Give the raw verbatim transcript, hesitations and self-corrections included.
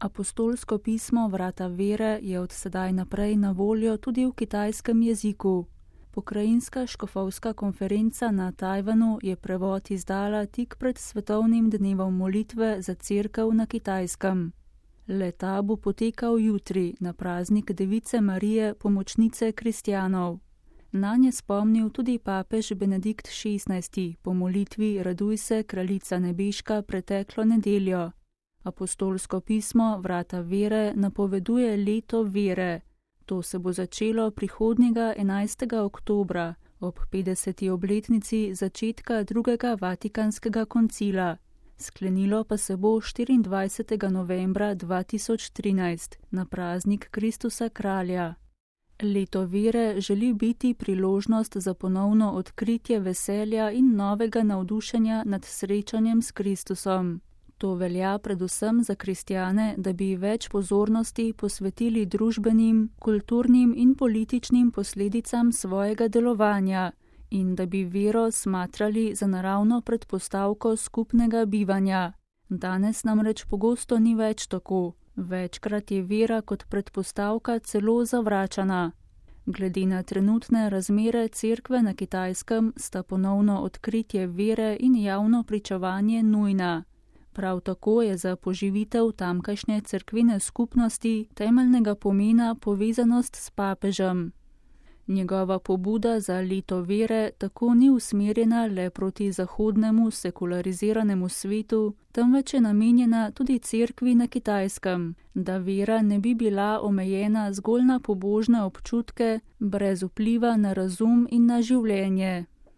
Apostolsko pismo Vrata vere je od sedaj naprej na voljo tudi v kitajskem jeziku. Pokrajinska škofovska konferenca na Tajvanu je prevod izdala tik pred svetovnim dnevom molitve za cerkev na Kitajskem. Le-ta bo potekal jutri na praznik Device Marije, pomočnice kristjanov. Nanj je spomnil tudi papež Benedikt šestnajsti po molitvi Raduj se, kraljica nebeška preteklo nedeljo. Apostolsko pismo Vrata vere napoveduje leto vere. To se bo začelo prihodnjega enajstega oktobra ob petdeseti obletnici začetka drugega Vatikanskega koncila. Sklenilo pa se bo štiriindvajsetega novembra dva tisoč trinajst na praznik Kristusa kralja. Leto vere želi biti priložnost za ponovno odkritje veselja in novega navdušenja nad srečanjem s Kristusom. To velja predvsem za kristjane, da bi več pozornosti posvetili družbenim, kulturnim in političnim posledicam svojega delovanja in da bi vero smatrali za naravno predpostavko skupnega bivanja. Danes namreč pogosto ni več tako. Večkrat je vera kot predpostavka celo zavračana. Glede na trenutne razmere cerkve na Kitajskem sta ponovno odkritje vere in javno pričevanje nujna. Prav tako je za poživitev tamkajšnje cerkvene skupnosti temeljnega pomena povezanost s papežem. Njegova pobuda za leto vere tako ni usmerjena le proti zahodnemu sekulariziranemu svetu, temveč je namenjena tudi cerkvi na Kitajskem, da vera ne bi bila omejena zgolj na pobožne občutke, brez vpliva na razum in na življenje.